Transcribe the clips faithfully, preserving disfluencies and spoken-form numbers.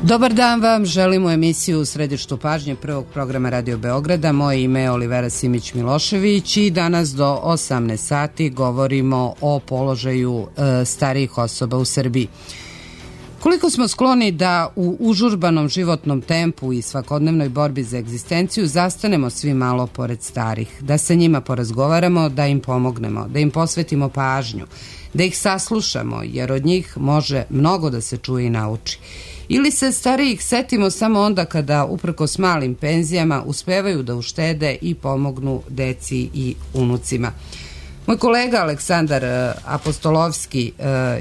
Dobar dan vam, želimo emisiju u središtu pažnje prvog programa Radio Beograda. Moje ime je Olivera Simić-Milošević i danas do osamnaest sati govorimo o položaju e, starijih osoba u Srbiji. Koliko smo skloni da u užurbanom životnom tempu i svakodnevnoj borbi za egzistenciju zastanemo svi malo pored starih, da se njima porazgovaramo, da im pomognemo, da im posvetimo pažnju, da ih saslušamo, jer od njih može mnogo da se čuje i nauči. Ili se starijih setimo samo onda kada, uprkos malim penzijama, uspevaju da uštede i pomognu deci i unucima. Moj kolega Aleksandar Apostolovski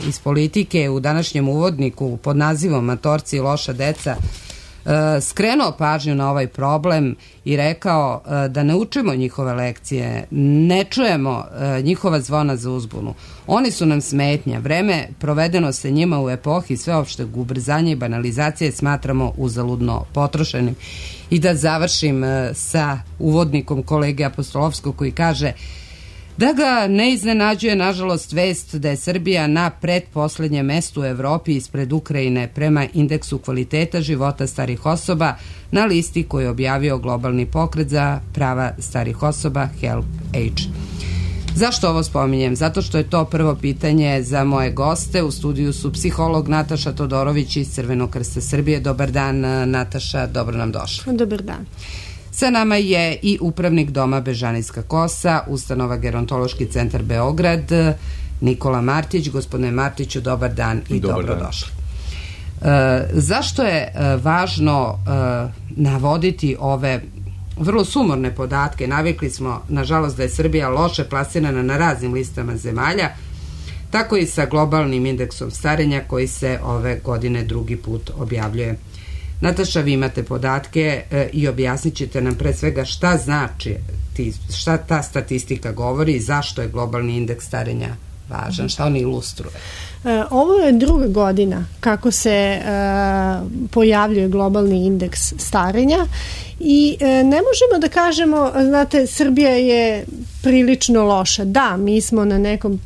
iz Politike u današnjem uvodniku pod nazivom Matorci i loša deca skrenuo pažnju na ovaj problem i rekao da ne učimo njihove lekcije, ne čujemo njihova zvona za uzbunu. Oni su nam smetnja. Vreme provedeno sa njima u epohi sveopšteg ubrzanja i banalizacije smatramo uzaludno potrošenim. I da završim sa uvodnikom kolege Apostolovskog koji kaže da ga ne iznenađuje, nažalost, vest da je Srbija na pretposlednjem mestu u Evropi ispred Ukrajine prema indeksu kvaliteta života starih osoba na listi koju je objavio globalni pokret za prava starih osoba Help Age. Zašto ovo spominjem? Zato što je to prvo pitanje za moje goste. U studiju su psiholog Nataša Todorović iz Crvenog krsta Srbije. Dobar dan, Nataša, dobro nam došla. Dobar dan. Sa nama je i upravnik Doma Bežanijska kosa, ustanova Gerontološki centar Beograd, Nikola Martić. Gospodine Martiću, dobar dan i dobar dobrodošli. E, zašto je e, važno e, navoditi ove vrlo sumorne podatke? Navikli smo, nažalost, da je Srbija loše plasirana na raznim listama zemalja, tako i sa globalnim indeksom starenja koji se ove godine drugi put objavljuje. Nataša, vi imate podatke e, i objasnit ćete nam pre svega šta znači, ti, šta ta statistika govori i zašto je globalni indeks starenja važan, šta on ilustruje. E, ovo je druga godina kako se e, pojavljuje globalni indeks starenja i e, ne možemo da kažemo, znate, Srbija je prilično loša. Da, mi smo na nekom e,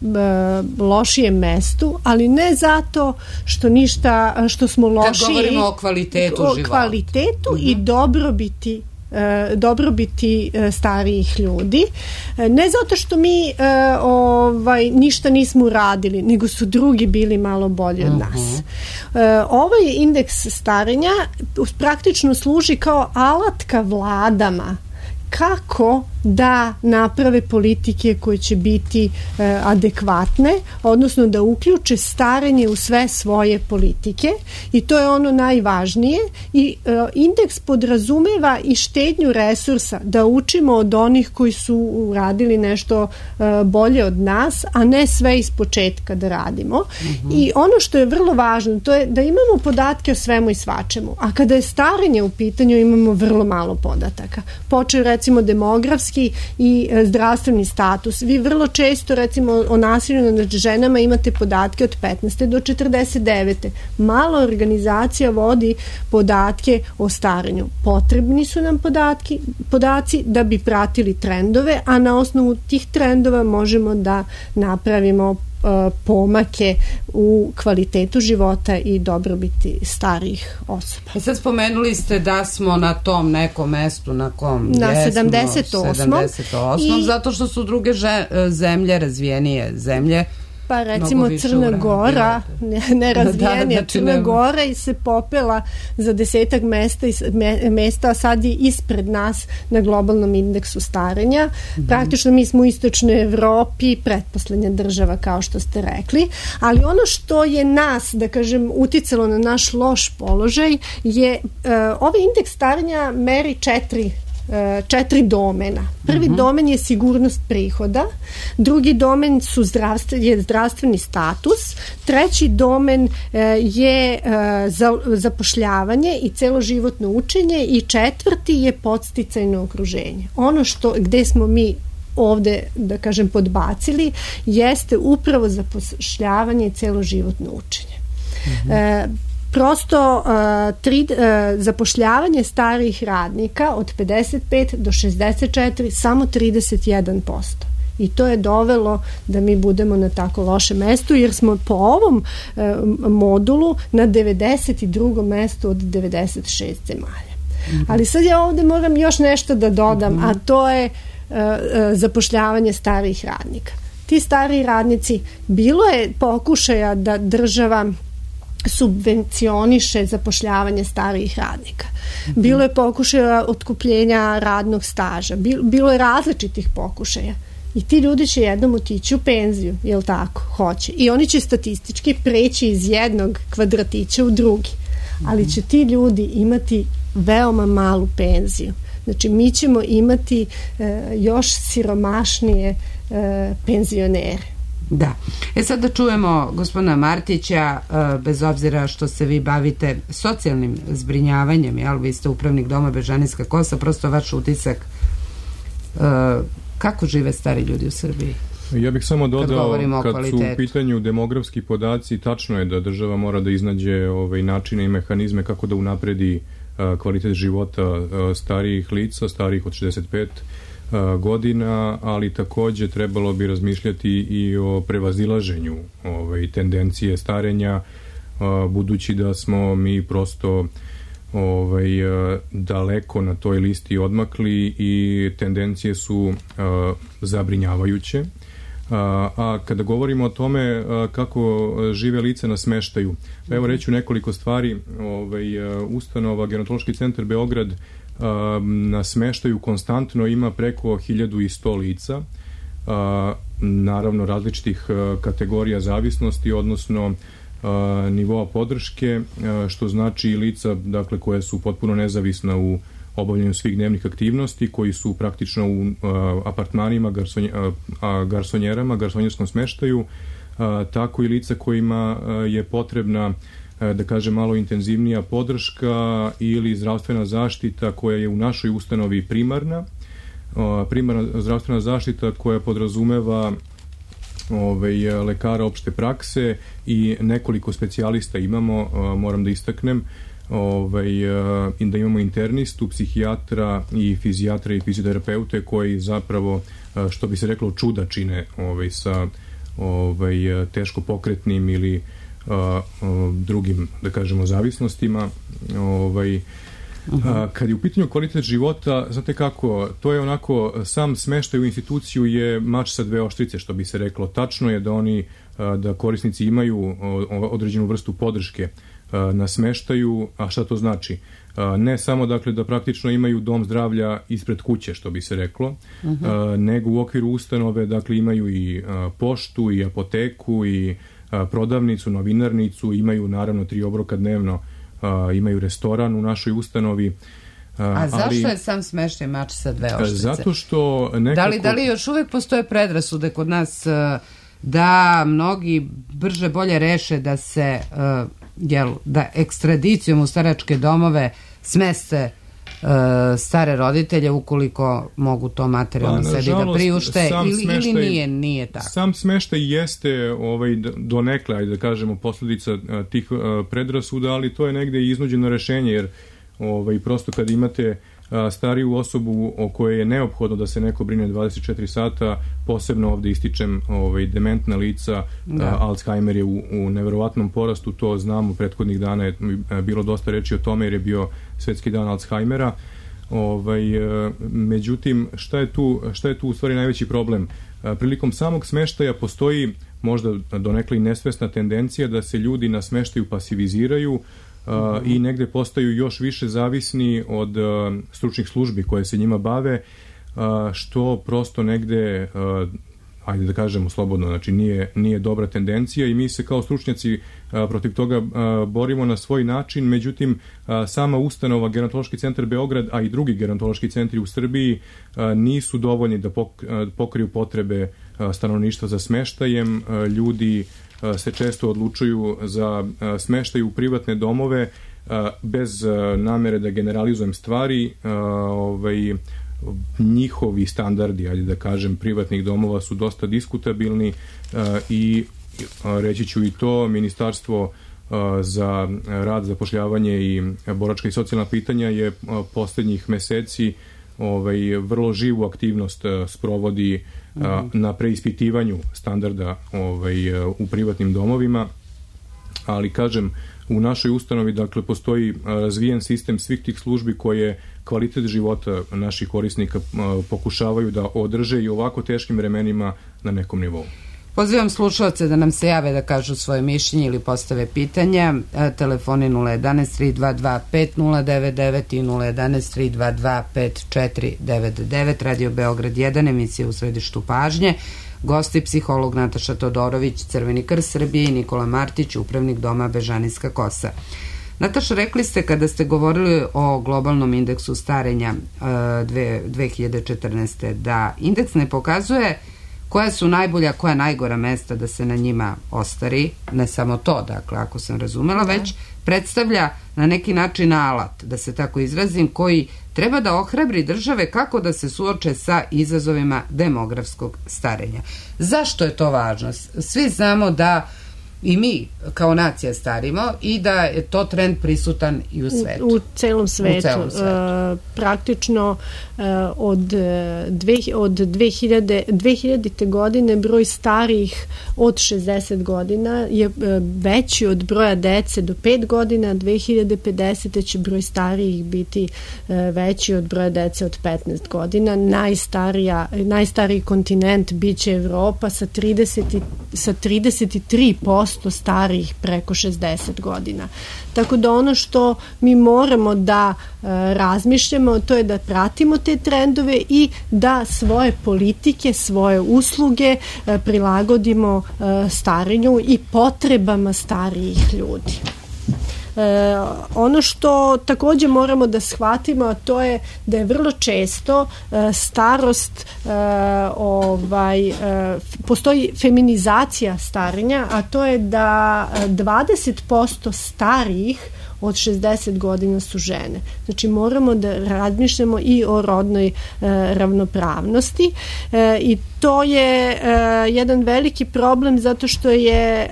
lošijem mestu, ali ne zato što ništa, što smo lošiji. Kad govorimo o kvalitetu o života. kvalitetu uh-huh. i dobrobiti dobrobiti starijih ljudi. Ne zato što mi ovaj, ništa nismo uradili, nego su drugi bili malo bolji od nas. Uh-huh. Ovaj indeks starenja praktično služi kao alatka vladama kako da naprave politike koje će biti e, adekvatne, odnosno da uključe starenje u sve svoje politike i to je ono najvažnije i e, indeks podrazumeva i štednju resursa, da učimo od onih koji su uradili nešto e, bolje od nas, a ne sve iz početka da radimo. Mm-hmm. I ono što je vrlo važno, to je da imamo podatke o svemu i svačemu, a kada je starenje u pitanju imamo vrlo malo podataka. Počeo recimo demografski i zdravstveni status. Vi vrlo često, recimo, o nasilju nad ženama imate podatke od petnaeste do četrdeset devete. Malo organizacija vodi podatke o starenju. Potrebni su nam podatki, podaci da bi pratili trendove, a na osnovu tih trendova možemo da napravimo pomake u kvalitetu života i dobrobiti starijih osoba. I sad spomenuli ste da smo na tom nekom mestu na kom na jesmo, sedamdeset osmom sedamdeset osmom i zato što su druge že, zemlje, razvijenije zemlje, pa recimo Crna Gora, nerazvijenija, da, znači Crna Gora i se popela za desetak mesta, mesta, a sad je ispred nas na globalnom indeksu starenja. Mm-hmm. Praktično mi smo u istočnoj Evropi pretposlednja država, kao što ste rekli, ali ono što je nas, da kažem, uticalo na naš loš položaj je, uh, ovaj indeks starenja meri četiri četiri domena. Prvi uh-huh. domen je sigurnost prihoda, drugi domen su zdravstven, je zdravstveni status, treći domen je zapošljavanje i celoživotno učenje i četvrti je podsticajno okruženje. Ono što, gde smo mi ovde, da kažem, podbacili, jeste upravo zapošljavanje i celoživotno učenje. Uh-huh. E, Prosto uh, tri, uh, zapošljavanje starijih radnika od pedeset pet do šezdeset četiri samo trideset jedan posto. I to je dovelo da mi budemo na tako lošem mestu, jer smo po ovom e, modulu na devedeset drugom mestu od devedeset šest zemalja. Mm-hmm. Ali sad ja ovde moram još nešto da dodam, mm-hmm. a to je e, e, zapošljavanje starijih radnika. Ti stariji radnici, bilo je pokušaja da država subvencioniše zapošljavanje starijih radnika. Bilo je pokušaja otkupljenja radnog staža. Bilo je različitih pokušaja. I ti ljudi će jednom otići u penziju, jel tako? Hoće. I oni će statistički preći iz jednog kvadratića u drugi. Ali će ti ljudi imati veoma malu penziju. Znači, mi ćemo imati e, još siromašnije e, penzionere. Da. E sad da čujemo gospodina Martića, bez obzira što se vi bavite socijalnim zbrinjavanjem, jel, vi ste upravnik Doma Bežanijska Kosa, prosto vaš utisak, kako žive stari ljudi u Srbiji? Ja bih samo dodao, kad, kad su u pitanju demografski podaci, tačno je da država mora da iznađe ovaj, načine i mehanizme kako da unapredi uh, kvalitet života uh, starijih lica, starijih od šezdeset pet godina, ali takođe trebalo bi razmišljati i o prevazilaženju ovaj, tendencije starenja, budući da smo mi prosto ovaj, daleko na toj listi odmakli i tendencije su zabrinjavajuće. A kada govorimo o tome kako žive lice na smeštaju, evo reću nekoliko stvari. Ovaj, ustanova Gerontološki centar Beograd na smeštaju konstantno ima preko hiljadu i sto lica, naravno različitih kategorija zavisnosti, odnosno nivoa podrške, što znači i lica, dakle, koje su potpuno nezavisna u obavljanju svih dnevnih aktivnosti, koji su praktično u apartmanima, garsonje, garsonjerama, garsonjerskom smeštaju, tako i lica kojima je potrebna, da kaže, malo intenzivnija podrška ili zdravstvena zaštita koja je u našoj ustanovi primarna. Primarna zdravstvena zaštita koja podrazumeva ovaj, lekara opšte prakse i nekoliko specijalista imamo, moram da istaknem, ovaj, da imamo internistu, psihijatra i fizijatra i fizioterapeute koji zapravo, što bi se reklo, čuda čine ovaj, sa ovaj, teško pokretnim ili Uh, uh, drugim, da kažemo, zavisnostima. Ovaj, uh-huh. Kad je u pitanju kvalitet života, znate kako, to je onako, sam smeštaj u instituciju je mač sa dve oštrice, što bi se reklo. Tačno je da oni, uh, da korisnici imaju uh, određenu vrstu podrške uh, na smeštaju, a šta to znači? Uh, ne samo, dakle, da praktično imaju dom zdravlja ispred kuće, što bi se reklo, uh-huh. uh, nego u okviru ustanove, dakle, imaju i uh, poštu i apoteku i prodavnicu, novinarnicu, imaju naravno tri obroka dnevno, imaju restoran u našoj ustanovi. A zašto ali, je sam smeštaj mač sa dve oštrice? Zato što nekako... Da li, da li još uvijek postoje predrasude kod nas da mnogi brže bolje reše da se jel, da ekstradicijom u staračke domove smeste stare roditelje ukoliko mogu to materijalno pa, sebi da priušte ili, smeštaj, ili nije, nije tako? Sam smeštaj jeste ovaj, donekle, ajde da kažemo, posljedica tih predrasuda, ali to je negde i iznuđeno rešenje, jer ovaj, prosto kad imate stariju osobu o kojoj je neophodno da se neko brine dvadeset četiri sata, posebno ovde ističem ovaj, dementna lica, da. Alzheimer je u, u neverovatnom porastu, to znamo, prethodnih dana je bilo dosta reči o tome jer je bio svetski dan Alzheimera. Ovaj, međutim, šta je tu, šta je tu u stvari najveći problem? Prilikom samog smeštaja postoji možda donekle i nesvesna tendencija da se ljudi na smeštaju pasiviziraju, Uh, i negde postaju još više zavisni od uh, stručnih službi koje se njima bave, uh, što prosto negde, uh, ajde da kažemo slobodno, znači nije, nije dobra tendencija i mi se kao stručnjaci uh, protiv toga uh, borimo na svoj način, međutim uh, sama ustanova Gerontološki centar Beograd, a i drugi gerontološki centri u Srbiji uh, nisu dovoljni da pok, uh, pokriju potrebe uh, stanovništva za smeštajem. Uh, ljudi se često odlučuju za smeštaj u privatne domove bez namere da generalizujem stvari. Ovaj, njihovi standardi, ajde da kažem, privatnih domova su dosta diskutabilni i reći ću i to, Ministarstvo za rad, zapošljavanje i boračka i socijalna pitanja je poslednjih meseci ovaj, vrlo živu aktivnost sprovodi mm-hmm. na preispitivanju standarda ovaj, u privatnim domovima, ali kažem, u našoj ustanovi dakle postoji razvijen sistem svih tih službi koje kvalitet života naših korisnika pokušavaju da održe i ovako teškim vremenima na nekom nivou. Pozivam slušalce da nam se jave da kažu svoje mišljenje ili postave pitanja. Telefoni nula jedanaest tri dva dva pet nula devet devet i nula jedanaest tri dva dva pet četiri devet devet. Radio Beograd jedan, emisija u središtu pažnje. Gosti psiholog Nataša Todorović, Crveni krst Srbije, i Nikola Martić, upravnik doma Bežanijska kosa. Nataša, rekli ste kada ste govorili o globalnom indeksu starenja dve hiljade četrnaeste. da indeks ne pokazuje koja su najbolja, koja najgora mesta da se na njima ostari, ne samo to, dakle, ako sam razumela, već predstavlja na neki način alat, da se tako izrazim, koji treba da ohrabri države kako da se suoče sa izazovima demografskog starenja. Zašto je to važno? Svi znamo da i mi kao nacija starimo i da je to trend prisutan i u svetu. U, u celom svetu. U celom svetu. Uh, praktično uh, od, dve, od dve hiljade, dve hiljadite. godine broj starijih od šezdeset godina je uh, veći od broja dece do pet godina, dve hiljade pedesete. će broj starijih biti uh, veći od broja dece od petnaest godina. Najstarija, najstariji kontinent biće Evropa sa, trideset, sa trideset tri posto starijih preko šezdeset godina. Tako da ono što mi moramo da e, razmišljamo, to je da pratimo te trendove i da svoje politike, svoje usluge e, prilagodimo e, starenju i potrebama starijih ljudi. E, ono što takođe moramo da shvatimo, a to je da je vrlo često e, starost e, ovaj, e, postoji feminizacija starenja, a to je da dvadeset posto starijih od šezdeset godina su žene. Znači moramo da razmišljamo i o rodnoj e, ravnopravnosti e, i to je e, jedan veliki problem zato što je e,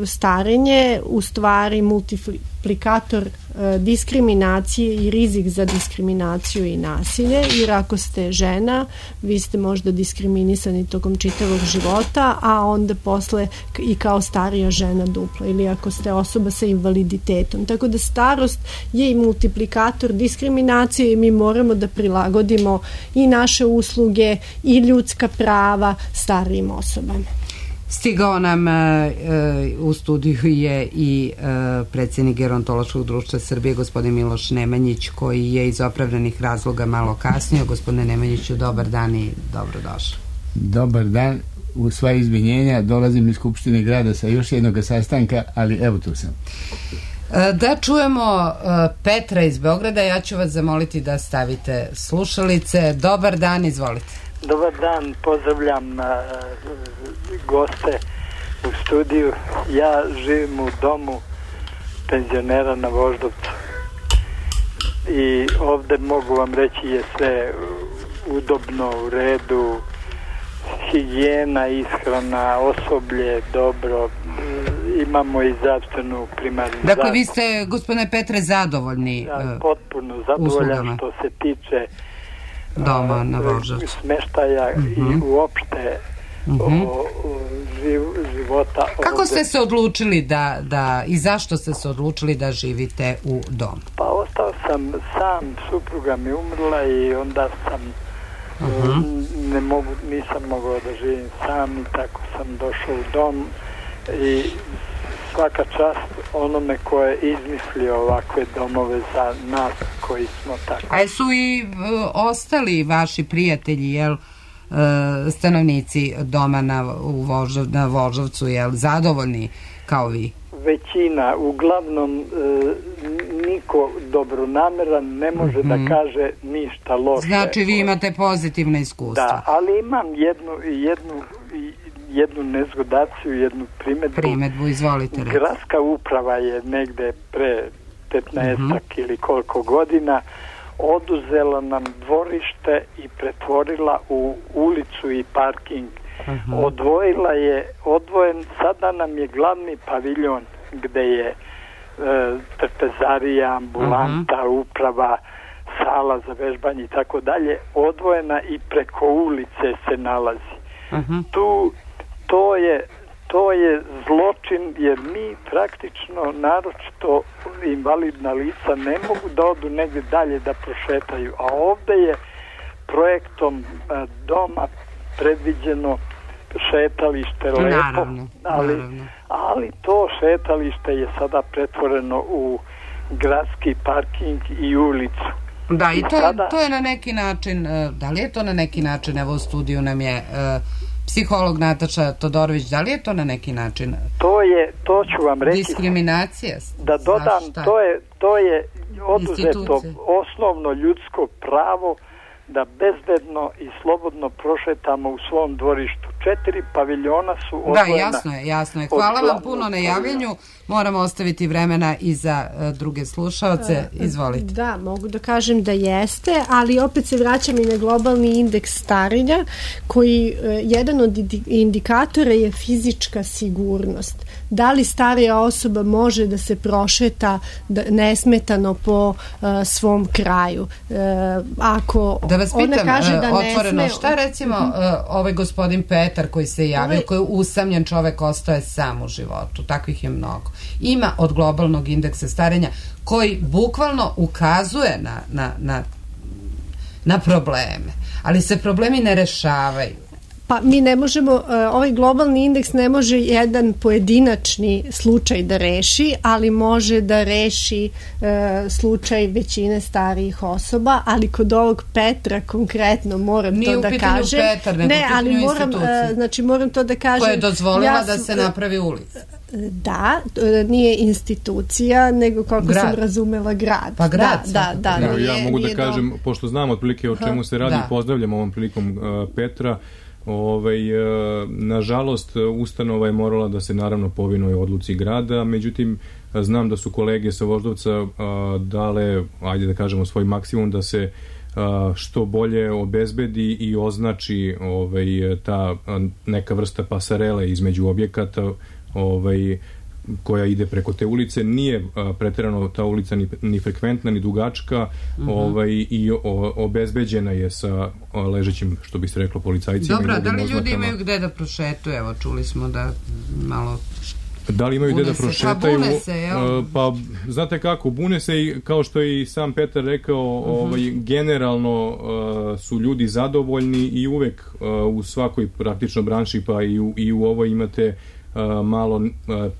starenje u stvari multiplikator e, diskriminacije i rizik za diskriminaciju i nasilje, jer ako ste žena, vi ste možda diskriminisani tokom čitavog života, a onda posle i kao starija žena duplo, ili ako ste osoba sa invaliditetom. Tako da starost je i multiplikator diskriminacije i mi moramo da prilagodimo i naše usluge i ljudska prava starijim osobama. Stigao nam e, u studiju je i e, predsjednik Gerontološkog društva Srbije, gospodin Miloš Nemanjić, koji je iz opravdanih razloga malo kasnio. Gospodine Nemanjiću, dobar dan i dobrodošli. Dobar dan, u sva izvinjenja, dolazim iz Skupštine grada sa još jednog sastanka, ali evo tu sam. Da čujemo Petra iz Beograda, ja ću vas zamoliti da stavite slušalice. Dobar dan, izvolite. Dobar dan, pozdravljam uh, goste u studiju. Ja živim u domu penzionera na Voždovcu i ovde mogu vam reći je sve udobno, u redu, higijena, ishrana, osoblje, dobro, imamo i zdravstvenu primarnu zaštitu. Dakle, vi ste, gospodine Petre, zadovoljni ja, potpuno zadovoljan uslugama. Što se tiče doma na Voždovcu, smeštaja uh-huh. i uopšte uh-huh. o, o živ, života. Kako ovde. ste se odlučili da, da i zašto ste se odlučili da živite u domu? Pa ostao sam sam, supruga mi umrla i onda sam uh-huh. ne mogu, nisam mogao da živim sam i tako sam došao u dom i svaka čast onome ko je izmislio ovakve domove za nas koji smo tako. A su i uh, ostali vaši prijatelji, jel, uh, stanovnici doma na, u Voždov, na Voždovcu, jel, zadovoljni kao vi? Većina, uglavnom e, niko dobronameran ne može mm-hmm. da kaže ništa loše. Znači vi imate pozitivne iskustva. Da, ali imam jednu, jednu, jednu nezgodaciju, jednu primedbu. Primedbu, izvolite. Gradska uprava je negde pre petnaest mm-hmm. ili koliko godina oduzela nam dvorište i pretvorila u ulicu i parking. Uh-huh. Odvojila je, odvojen, sada nam je glavni paviljon gde je e, trpezarija, ambulanta, uh-huh. uprava, sala za vežbanje i tako dalje, odvojena i preko ulice se nalazi. Uh-huh. Tu, to je to je zločin, jer mi praktično, naročito invalidna lica, ne mogu da odu negdje dalje da prošetaju, a ovdje je projektom a, doma predviđeno šetalište lepo, naravno, ali, naravno. ali to šetalište je sada pretvoreno u gradski parking i ulicu. Da, i, I to, sada, je, to je na neki način, da li je to na neki način, evo u studiju nam je uh, psiholog Nataša Todorović, da li je to na neki način? To je, to ću vam reći. Diskriminacija? Da dodam, to je, to je oduzeto osnovno ljudsko pravo da bezbedno i slobodno prošetamo u svom dvorištu. Četiri paviljona su odvojena. Da, jasno je, jasno je. Hvala vam puno na javljanju. Moramo ostaviti vremena i za uh, druge slušaoce. Izvolite. Da, mogu da kažem da jeste, ali opet se vraćam i na globalni indeks starenja, koji uh, jedan od indikatora je fizička sigurnost. Da li starija osoba može da se prošeta da, nesmetano po uh, svom kraju? Uh, ako da vas pitam, ona kaže da otvoreno, ne sme... šta recimo uh, ovaj gospodin Petar koji se javio, ovaj... koji je usamljen čovek, ostaje sam u životu, takvih je mnogo. Ima od globalnog indeksa starenja koji bukvalno ukazuje na, na, na, na probleme, ali se problemi ne rešavaju. Pa mi ne možemo, ovaj globalni indeks ne može jedan pojedinačni slučaj da reši, ali može da reši e, slučaj većine starijih osoba, ali kod ovog Petra konkretno moram nije to da kažem. Nije u pitanju Petar, nego ne, ali moram, institucije. znači moram to da kažem. Koja je dozvolila ja da se napravi ulica. Da, nije institucija, nego kako grad. sam razumela grad. Pa grad. Da, da, da, ja, nije, ja mogu da nije kažem, do... pošto znam otprilike o čemu se radi, da. Pozdravljam ovom prilikom uh, Petra. Ovaj, nažalost, ustanova je morala da se naravno povinuje odluci grada, međutim znam da su kolege sa Voždovca dale, ajde da kažemo, svoj maksimum da se što bolje obezbedi i označi ovaj, ta neka vrsta pasarele između objekata ovaj, koja ide preko te ulice. Nije a, pretjerano ta ulica ni, ni frekventna, ni dugačka, uh-huh. ovaj, i o, obezbeđena je sa o, ležećim, što bi se reklo, policajcima. Dobro, i da li ozmakama. ljudi imaju gde da prošetuju? Evo, čuli smo da malo... Da li imaju gde da prošetaju? Pa bune se, jel? Pa, znate kako, bune se i, kao što je i sam Petar rekao, uh-huh. ovaj, generalno uh, su ljudi zadovoljni i uvek uh, u svakoj praktično branši, pa i u, i u ovoj imate Uh, malo uh,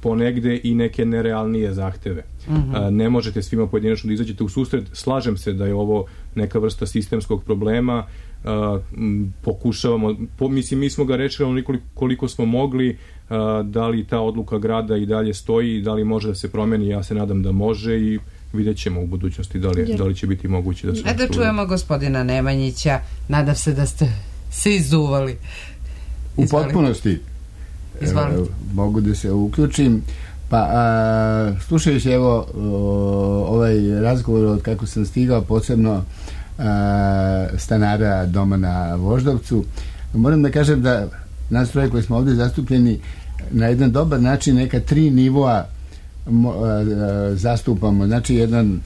ponegde i neke nerealnije zahteve. Uh-huh. Uh, ne možete svima pojedinačno da izađete u susret. Slažem se da je ovo neka vrsta sistemskog problema. Uh, m, pokušavamo, po, mislim, mi smo ga rečili onoliko koliko smo mogli, uh, da li ta odluka grada i dalje stoji, da li može da se promeni, ja se nadam da može i vidjet ćemo u budućnosti da li, da li će biti moguće da se... E da čujemo gospodina Nemanjića, nadam se da ste se izuvali. U potpunosti. Evo, mogu da se uključim. Pa, a, slušajući evo o, ovaj razgovor od kako sam stigao, posebno a, stanara doma na Voždovcu, moram da kažem da nas troje koji smo ovdje zastupljeni na jedan dobar način neka tri nivoa mo, a, a, zastupamo. Znači jedan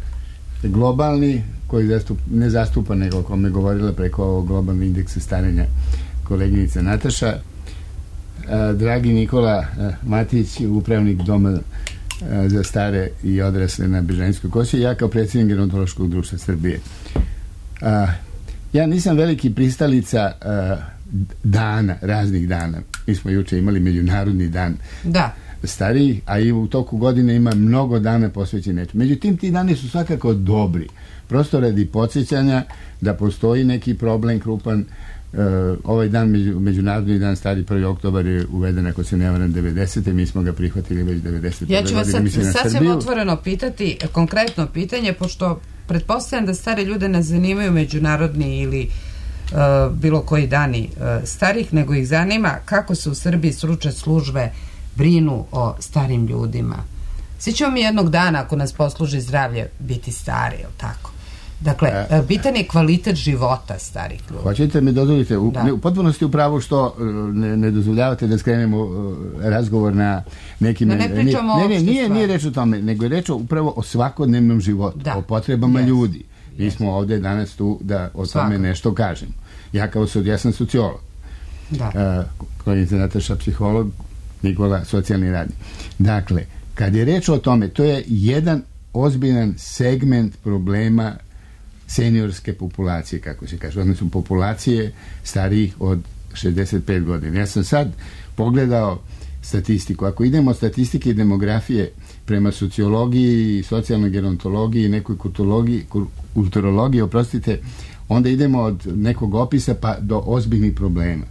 globalni koji zastup, ne zastupa nego o kome je govorila preko ovog globalnog indeksa starenja koleginica Nataša, dragi Nikola Matić, upravnik doma za stare i odrasle na Bežanijskoj kosi, ja kao predsjednik Gerontološkog društva Srbije. Ja nisam veliki pristalica dana, raznih dana. Mi smo juče imali Međunarodni dan da. starijih, a i u toku godine ima mnogo dana posvećeni nečemu. Međutim, ti dani su svakako dobri. Prosto radi podsjećanja da postoji neki problem krupan. Uh, ovaj dan, među, Međunarodni dan stari prvi oktobar je uveden, ako se ne varam, devedesete. Mi smo ga prihvatili već devedesete. Ja ću vas sad, sasvim otvoreno pitati, konkretno pitanje, pošto pretpostavljam da stare ljude ne zanimaju međunarodni ili uh, bilo koji dani uh, starih, nego ih zanima kako se u Srbiji stručne službe brinu o starim ljudima. Svi ćemo mi jednog dana, ako nas posluži zdravlje, biti stari, je li tako? Dakle, e, bitan je kvalitet života starih ljudi. Hoćete mi dozvolite, u, ne, u potpunosti upravo što ne, ne dozvoljavate da skrenemo uh, razgovor na nekim... Da ne pričamo ne, ne, ne, nije, nije reč o tome, nego je reč upravo o svakodnevnom životu, da. O potrebama yes. ljudi. Mi smo ovde danas tu da o Svaka. tome nešto kažemo. Ja kao sud, ja sam sociolog. Da. Uh, koji je Nataša psiholog, Nikola socijalni radnik. Dakle, kad je reč o tome, to je jedan ozbiljan segment problema seniorske populacije, kako se kaže, odnosno populacije starijih od šezdeset pet godina. Ja sam sad pogledao statistiku. Ako idemo od statistike i demografije prema sociologiji, socijalnoj gerontologiji, nekoj kulturologiji, kulturologiji, oprostite, onda idemo od nekog opisa pa do ozbiljnih problema.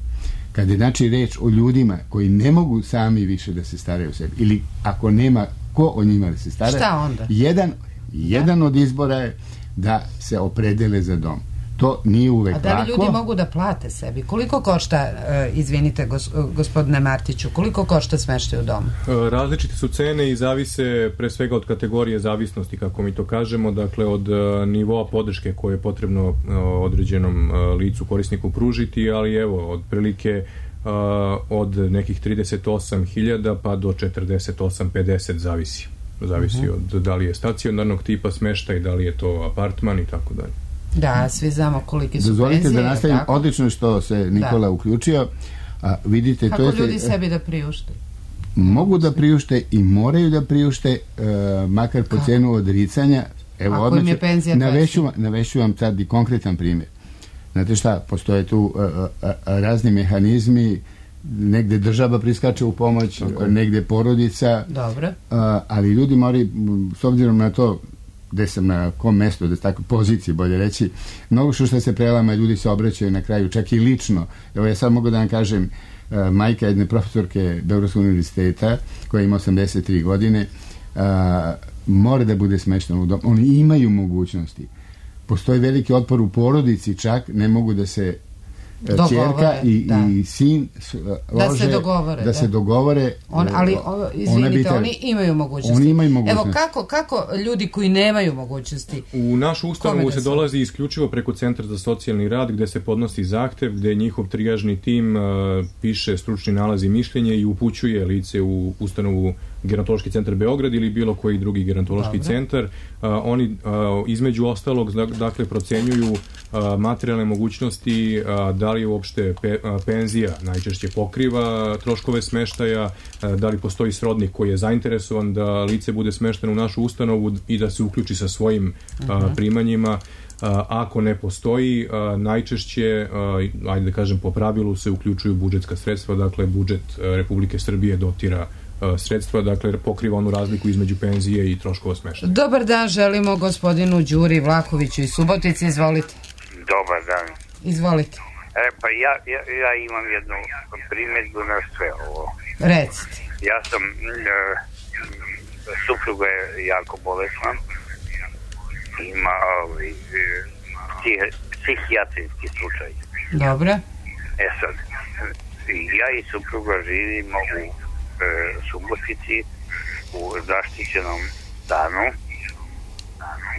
Kad je znači reč o ljudima koji ne mogu sami više da se staraju o sebi, ili ako nema ko o njima da se stara, šta onda? Jedan, jedan od izbora je da se opredele za dom. To nije uvek lako. A da li ljudi mogu da plate sebi? Koliko košta, uh, izvinite gos, gospodine Martiću, koliko košta smeštaj u domu? Različite su cene i zavise pre svega od kategorije zavisnosti, kako mi to kažemo, dakle od uh, nivoa podrške koje je potrebno uh, određenom uh, licu, korisniku pružiti, ali evo, od prilike uh, od nekih trideset osam hiljada pa do četrdeset osam pedeset zavisi. Zavisi uh-huh. od da li je stacionarnog tipa smeštaj, da li je to apartman i tako dalje. Da, svi znamo koliki su Dozvolite penzije. Da nastavim, odlično što se Nikola da. uključio. A, vidite, kako to je ljudi sebi da priušte? Mogu da priušte i moraju da priušte, uh, makar po kako? Cenu odricanja. Evo, ako im je penzija navešu, navešu vam sad i konkretan primjer. Znate šta, postoje tu uh, uh, razni mehanizmi, negde država priskače u pomoć, okay. negde porodica. Dobro. Uh, ali ljudi moraju, s obzirom na to gde sam na kom mestu, da tako poziciji bolje reći, mnogo što što se prelama, ljudi se obraćaju na kraju, čak i lično. Evo ja sad mogu da vam kažem, uh, majka jedne profesorke Beogradskog univerziteta, koja ima osamdeset tri godine, uh, mora da bude smeštena u dom. Oni imaju mogućnosti. Postoji veliki otpor u porodici, čak ne mogu da se ćerka i, da. i sin lože, da se dogovore, da, da. Se dogovore On, ali o, izvinite, oni imaju mogućnosti. Oni imaju mogućnosti. Evo kako, kako ljudi koji nemaju mogućnosti, u našu ustanovu se dolazi isključivo preko Centra za socijalni rad, gde se podnosi zahtev, gde njihov trijažni tim uh, piše stručni nalaz i mišljenje i upućuje lice u ustanovu Gerontološki centar Beograd ili bilo koji drugi gerontološki Dobre. centar. Uh, oni uh, između ostalog dakle procenjuju uh, materijalne mogućnosti, uh, da li uopšte pe, uh, penzija najčešće pokriva troškove smeštaja, uh, da li postoji srodnik koji je zainteresovan da lice bude smešteno u našu ustanovu i da se uključi sa svojim uh, uh-huh. primanjima. Uh, ako ne postoji, uh, najčešće, uh, ajde da kažem po pravilu, se uključuju budžetska sredstva, dakle budžet uh, Republike Srbije dotira sredstva, dakle pokriva onu razliku između penzije i troškova smeštaja. Dobar dan, želimo gospodinu Đuri Vlahoviću iz Subotice, izvolite. Dobar dan. Izvolite. E, pa ja, ja, ja imam jednu primjedbu na sve ovo. Recite. Ja sam, e, supruga je jako bolesna, ima ovaj, psih, psihijatrijski slučaj. Dobro. E sad, ja i supruga živimo u Subotici u zaštićenom stanu,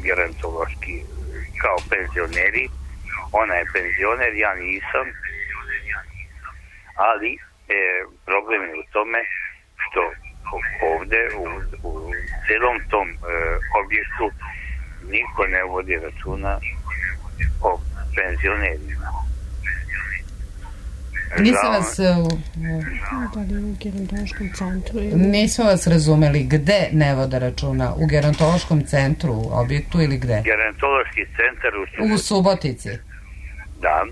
gerontološki, kao penzioneri. Ona je penzioner, ja nisam, ali e, problem je u tome što ovde u, u celom tom e, objektu niko ne vodi računa o penzionerima. Nisam vas u, nisam vas razumeli, gde ne vode računa? U gerontološkom centru, objektu ili gde? Gerontološki centar u Subotici. U Subotici. Da.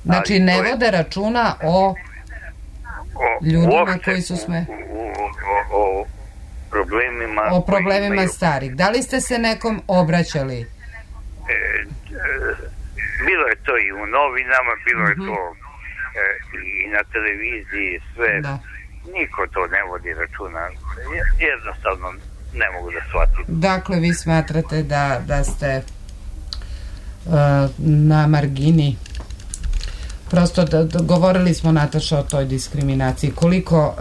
Znači ne vode računa o, o ljudima uopšte, koji su sme... O, o, o problemima... O problemima imaju... starih. Da li ste se nekom obraćali? E, e, bilo je to i u novinama, bilo je mm-hmm. to i na televiziji, sve. Da. Niko to ne vodi računa. Jednostavno ne mogu da shvatim. Dakle, vi smatrate da, da ste uh, na margini. Prosto da, da, govorili smo, Nataša, o toj diskriminaciji. Koliko uh,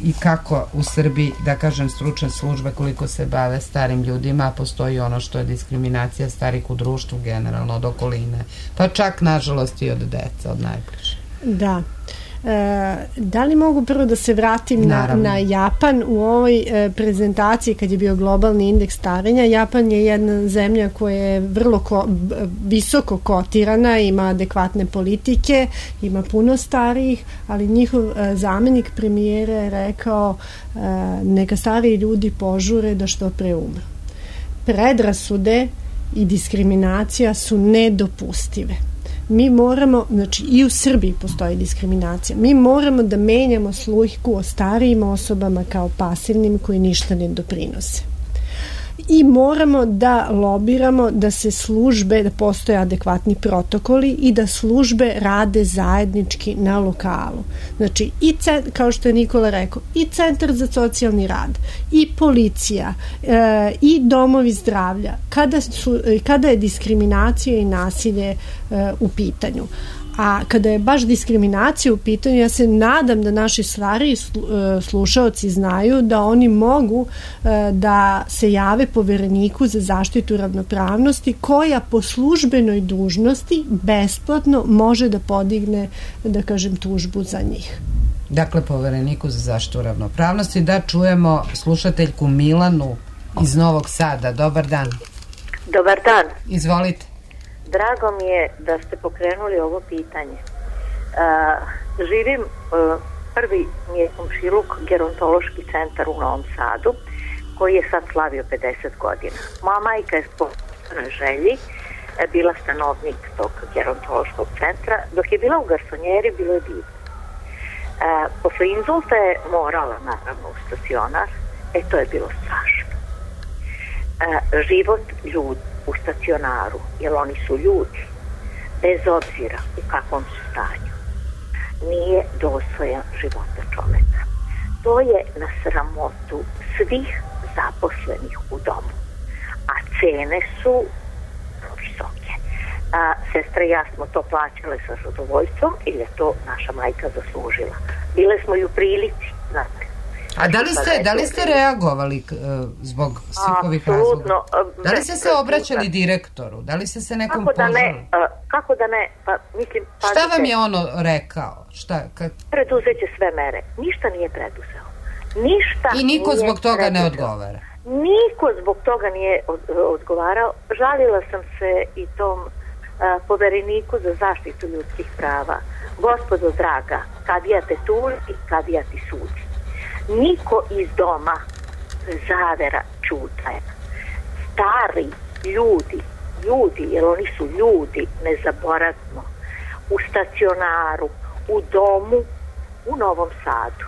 i kako u Srbiji, da kažem, stručne službe, koliko se bave starim ljudima, postoji ono što je diskriminacija starih u društvu generalno, od okoline. Pa čak, nažalost, i od deca, od najbliže. Da. Da li mogu prvo da se vratim na, na Japan? U ovoj prezentaciji kad je bio globalni indeks starenja, Japan je jedna zemlja koja je vrlo ko, visoko kotirana, ima adekvatne politike, ima puno starijih, ali njihov zamenik premijera je rekao neka stariji ljudi požure da što pre umru. Predrasude i diskriminacija su nedopustive. Mi moramo, znači i u Srbiji postoji diskriminacija, mi moramo da menjamo sliku o starijim osobama kao pasivnim koji ništa ne doprinose. I moramo da lobiramo da se službe, da postoje adekvatni protokoli i da službe rade zajednički na lokalu. Znači, i kao što je Nikola rekao, i Centar za socijalni rad, i policija, e, i domovi zdravlja, kada, su, kada je diskriminacija i nasilje e, u pitanju. A kada je baš diskriminacija u pitanju, ja se nadam da naši stariji slušaoci znaju da oni mogu da se jave Povereniku za zaštitu ravnopravnosti, koja po službenoj dužnosti besplatno može da podigne, da kažem, tužbu za njih. Dakle, Povereniku za zaštitu ravnopravnosti. Da čujemo slušateljku Milanu iz Novog Sada. Dobar dan. Dobar dan. Izvolite. Drago mi je da ste pokrenuli ovo pitanje. Uh, živim, uh, prvi mi je komšiluk gerontološki centar u Novom Sadu, koji je sad slavio pedeset godina. Moja majka je po želji bila stanovnik tog gerontološkog centra. Dok je bila u garsonjeri, bilo je divno. Uh, posle inzulta je morala, naravno, u stacionar. E, to je bilo strašno. Uh, život ljudi u stacionaru, jer oni su ljudi, bez obzira u kakvom su stanju, nije dostojan života čoveka. To je na sramotu svih zaposlenih u domu, a cene su visoke. A, sestra i ja smo to plaćale sa zadovoljstvom, ili je to naša majka zaslužila. Bile smo i u prilici, znate. A da li ste, da li ste reagovali uh, zbog svih ovih razloga? Da li ste se obraćali direktoru? Da li ste se nekom kako da požali? Ne, uh, kako da ne? Pa, mislim, pa šta vam je ono rekao? Šta, kad... Preduzeće sve mere. Ništa nije preduzeo. Ništa I niko nije zbog toga preduzeo. Ne odgovara? Niko zbog toga nije od, odgovarao. Žalila sam se i tom uh, Povereniku za zaštitu ljudskih prava. Gospodo draga, kadija te tuži, kadija ti sudi. Niko iz doma zavera čutaje. Stari ljudi, ljudi, jer oni su ljudi, ne zaboravimo, u stacionaru, u domu, u Novom Sadu,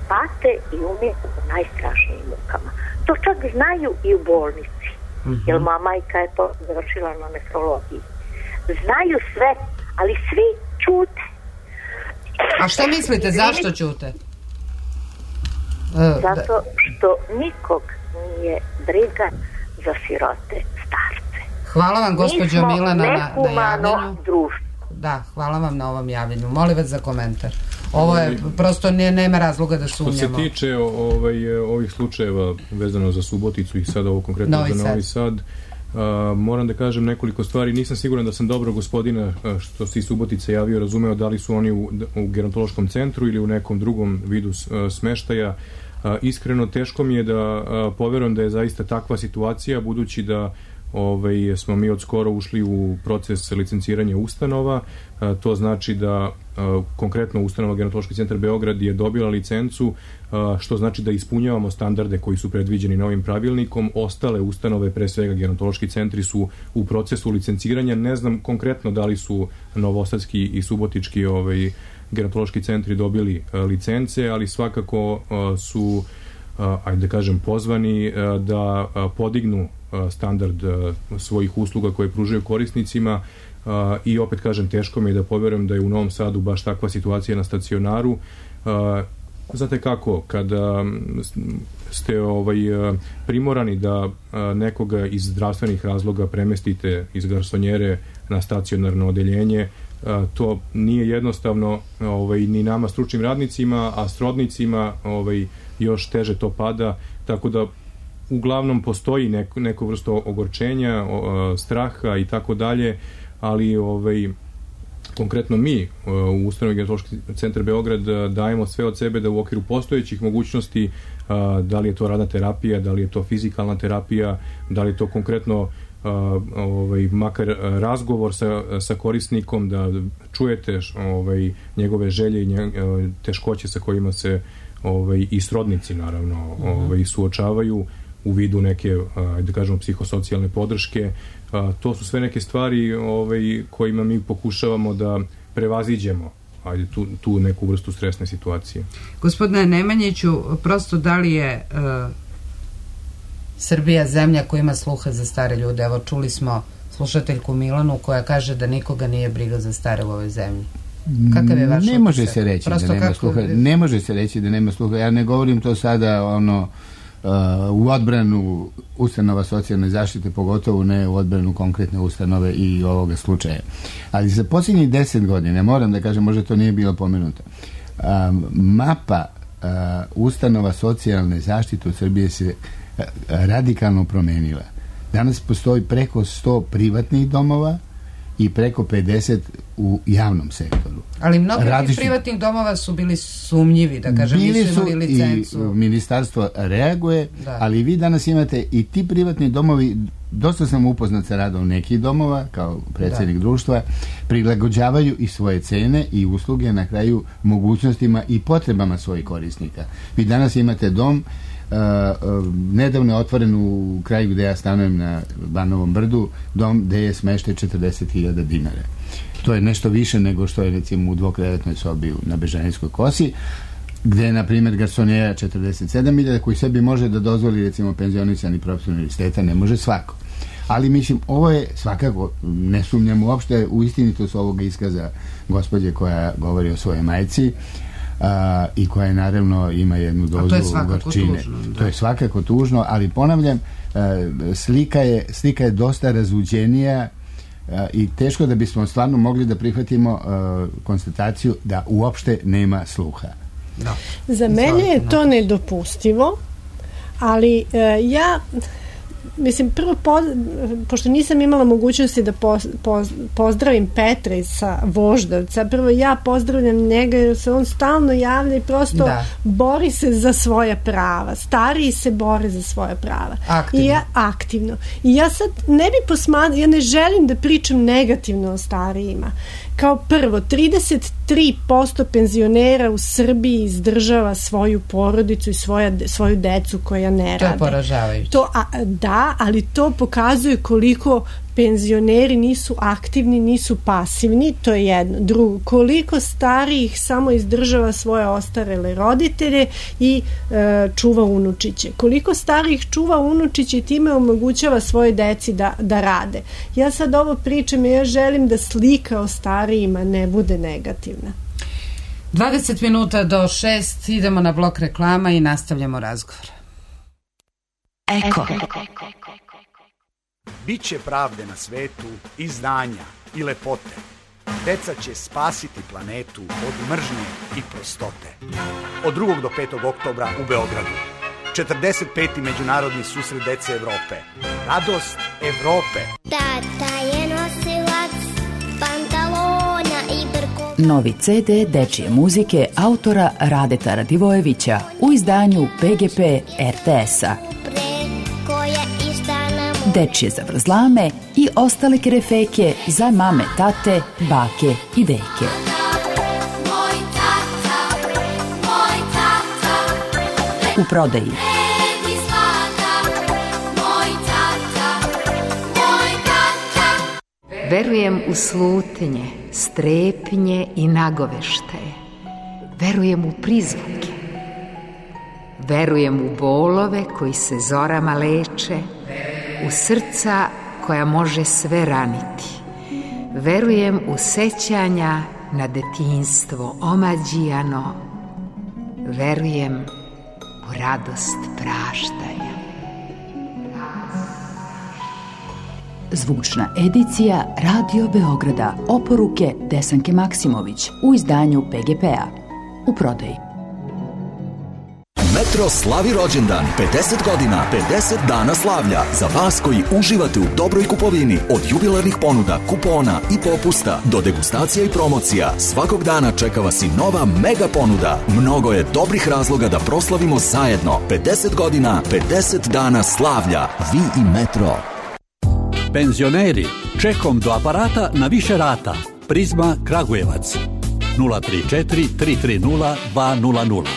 pate i umiru u najstrašnijim mukama. To čak znaju i u bolnici, mm-hmm. jer moja majka je to završila na nefrologiji. Znaju sve, ali svi čute. A šta mislite, zašto čute? Zato što nikog nije briga za sirote starce. Hvala vam, gospođo Milana, na, na javljanju. Društvo. Da, hvala vam na ovom javljanju. Molim vas za komentar. Ovo je, prosto ne, nema razloga da sumnjamo. Što se tiče ovaj, ovih slučajeva vezano za Suboticu i sada ovo konkretno Novi za Novi Sad, Uh, moram da kažem nekoliko stvari. Nisam siguran da sam dobro gospodina uh, što se iz Subotice javio razumeo da li su oni u, u gerontološkom centru ili u nekom drugom vidu uh, smeštaja. Uh, iskreno teško mi je da uh, poverujem da je zaista takva situacija, budući da ovaj, smo mi od skoro ušli u proces licenciranja ustanova. Uh, to znači da uh, konkretno ustanova Gerontološki centar Beograd je dobila licencu, uh, što znači da ispunjavamo standarde koji su predviđeni novim pravilnikom. Ostale ustanove, pre svega gerontološki centri, su u procesu licenciranja. Ne znam konkretno da li su novosadski i subotički ovaj, gerontološki centri dobili uh, licence, ali svakako uh, su uh, ajde da kažem pozvani uh, da uh, podignu uh, standard uh, svojih usluga koje pružaju korisnicima. Uh, i opet kažem, teško mi je da poverujem da je u Novom Sadu baš takva situacija na stacionaru. Uh, znate kako, kada ste ovaj, primorani da nekoga iz zdravstvenih razloga premestite iz garsonjere na stacionarno odeljenje, to nije jednostavno ovaj, ni nama stručnim radnicima, a srodnicima ovaj, još teže to pada, tako da uglavnom postoji neko, neko vrsto ogorčenja, o, straha i tako dalje, ali ovaj, konkretno mi u ustanovi Gerontološki centar Beograd dajemo sve od sebe da u okviru postojećih mogućnosti, da li je to radna terapija, da li je to fizikalna terapija, da li je to konkretno ovaj, makar razgovor sa, sa korisnikom, da čujete ovaj, njegove želje i nje, teškoće sa kojima se ovaj, i srodnici naravno ovaj, suočavaju u vidu neke, da kažemo, psihosocijalne podrške. To su sve neke stvari ovaj, kojima mi pokušavamo da prevaziđemo ajde, tu, tu neku vrstu stresne situacije. Gospodine Nemanjiću, prosto da li je uh, Srbija zemlja koja ima sluha za stare ljude? Evo, čuli smo slušateljku Milanu koja kaže da nikoga nije briga za stare u ovoj zemlji. Kakav je vaš ne može se reći prosto da nema kako... sluha. Ne može se reći da nema sluha. Ja ne govorim to sada ono uh, u odbranu ustanova socijalne zaštite, pogotovo ne u odbranu konkretne ustanove i ovoga slučaja. Ali za posljednjih deset godina, moram da kažem, možda to nije bilo pomenuto, um, mapa uh, ustanova socijalne zaštite u Srbiji se uh, radikalno promenila. Danas postoji preko sto privatnih domova i preko pedeset u javnom sektoru. Ali mnogi Različni... privatnih domova su bili sumnjivi, da kažem, bili nisu imali licencu. I ministarstvo reaguje, da. Ali vi danas imate i ti privatni domovi, dosta sam upoznat sa radom nekih domova, kao predsjednik da. društva, prilagođavaju i svoje cene i usluge na kraju mogućnostima i potrebama svojih korisnika. Vi danas imate dom, Uh, uh, nedavno je otvoren u kraju gde ja stanujem na Banovom brdu, dom gde je smeštaj četrdeset hiljada dinara. To je nešto više nego što je recimo u dvokrevetnoj sobi na Bežanijskoj kosi, gde je na primjer garsonjera četrdeset sedam hiljada, koji sebi može da dozvoli recimo penzionisani profesor univerziteta, ne može svako. Ali mislim, ovo je svakako, ne sumnjam uopšte u istinitost ovoga iskaza gospođe koja govori o svojoj majci, Uh, i koja naravno ima jednu dozu gorčine. To je svakako tužno, ali ponavljam, uh, slika, je, slika je dosta razluđenija uh, i teško da bismo stvarno mogli da prihvatimo uh, konstataciju da uopšte nema sluha. No. Za mene je to nedopustivo, ali uh, ja mislim, prvo, po, pošto nisam imala mogućnosti da po, po, pozdravim Petra sa Voždovca, prvo ja pozdravljam njega jer se on stalno javlja i prosto da. bori se za svoja prava. Stariji se bore za svoja prava. Aktivno. I ja, aktivno. I ja sad ne bi posmatrala, ja ne želim da pričam negativno o starijima. Kao prvo, trideset tri posto penzionera u Srbiji izdržava svoju porodicu i svoja, svoju decu koja ne rade. To je poražavajuće. To, a, da, ali to pokazuje koliko penzioneri nisu aktivni, nisu pasivni, to je jedno. Drugo, koliko starijih samo izdržava svoje ostarele roditelje i e, čuva unučiće. Koliko starijih čuva unučiće i time omogućava svoje deci da, da rade. Ja sad ovo pričam i ja želim da slika o starijima ne bude negativna. dvadeset minuta do šest, idemo na blok reklama i nastavljamo razgovor. Eko. Biće pravde na svetu i znanja i lepote. Deca će spasiti planetu od mržnje i prostote. Od drugog do petog oktobra u Beogradu. četrdeset peti Međunarodni susret dece Evrope. Radost Evrope. Tata je nosilac pantalona i brkova. Novi ce de dečije muzike autora Radeta Radivojevića u izdanju pe ge pe er te es-a. Dečije zavrzlame i ostale kerefeke za mame, tate, bake i deke. Moj tata, moj tata, u prodaji. Red i zlata, moj tata, moj tata. Verujem u slutnje, strepnje i nagoveštaje. Verujem u prizvuke. Verujem u bolove koji se zorama leče, u srca koja može sve raniti. Verujem u sećanja na detinjstvo omađijano. Verujem u radost praštanja. Zvučna edicija Radio Beograda, oporuke Desanke Maksimović u izdanju pe ge pe a. U prodaji. Metro slavi rođendan, pedeset godina, pedeset dana slavlja. Za vas koji uživate u dobroj kupovini, od jubilarnih ponuda, kupona i popusta do degustacija i promocija, svakog dana čeka vas i nova mega ponuda. Mnogo je dobrih razloga da proslavimo zajedno. pedeset godina, pedeset dana slavlja. Vi i Metro. Penzioneri, čekom do aparata na više rata. Prizma Kragujevac. nula tri četiri tri tri nula dva nula nula.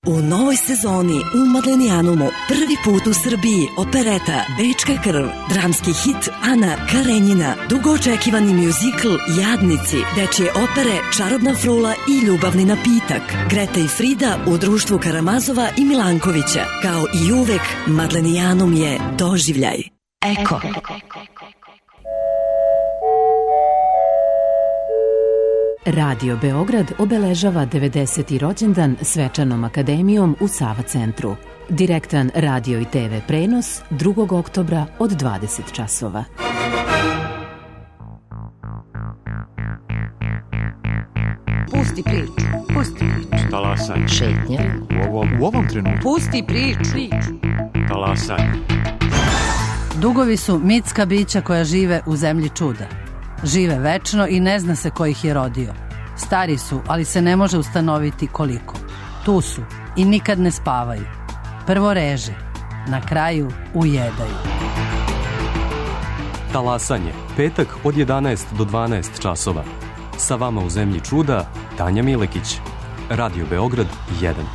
U novoj sezoni u Madlenijanumu prvi put u Srbiji opereta Bečka krv, dramski hit Ana Karenjina, dugo očekivani mjuzikl Jadnici, dečje opere Čarobna frula i Ljubavni napitak, Greta i Frida u društvu Karamazova i Milankovića. Kao i uvek, Madlenijanum je doživljaj. Eko. Radio Beograd obeležava devedeseti rođendan svečanom akademijom u Sava centru. Direktan radio i te ve prenos drugog oktobra od dvadeset časova. Pusti priču, pusti priču. Talasanje. Šetnje. U ovom, u ovom trenutku. Pusti priču. Talasanje. Dugovi su mitska bića koja žive u zemlji čuda. Žive večno i ne zna se ko ih je rodio. Stari su, ali se ne može ustanoviti koliko. Tu su i nikad ne spavaju. Prvo reže, na kraju ujedaju. Talasanje, petak od jedanaest do dvanaest časova. Sa vama u zemlji čuda, Tanja Milekić. Radio Beograd jedan.